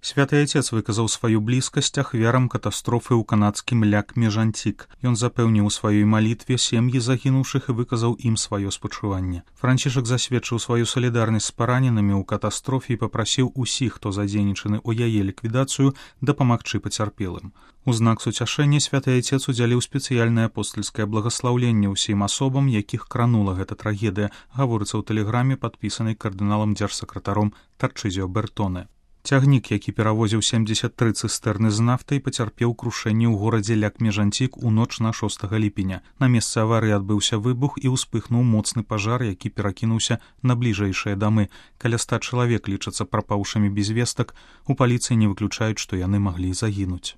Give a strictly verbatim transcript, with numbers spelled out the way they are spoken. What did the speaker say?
Святы Айцец выказаў сваю блізкасць ахвярам катастрофы ў канадскім ляк-межантик. Ён запэўніў у сваёй малітве сем'і загінуўшых і выказаў ім сваё спачуванне. Францішак засведчыў сваю салідарнасць з параненымі ў катастрофе і папрасіў усіх, хто задзейнічаны ў яе ліквідацыю, дапамагчы пацярпелым. У знак суцяшэння святы Айцец удзяліў спецыяльнае апостальскае благаслаўленне ўсім асобам, якіх кранула гэта трагедыя, гаворыцца ў тэлеграме, падпісанай кардыналам дзяржсакратаром Тарчызіо Бертоне. Цягнік, які перавозіў семдзесят тры цыстэрны з нафтай, пацярпеў крушэнне ў горадзе ляк-межантик у ноч на шостага ліпеня. На месцы аварыі адбыўся выбух і ўспыхнуў моцны пажар, які перакінуўся на бліжэйшыя дамы. Каля ста чалавек лічацца прапаўшымі без вестак. У паліцыі не выключаюць, што яны маглі загінуць.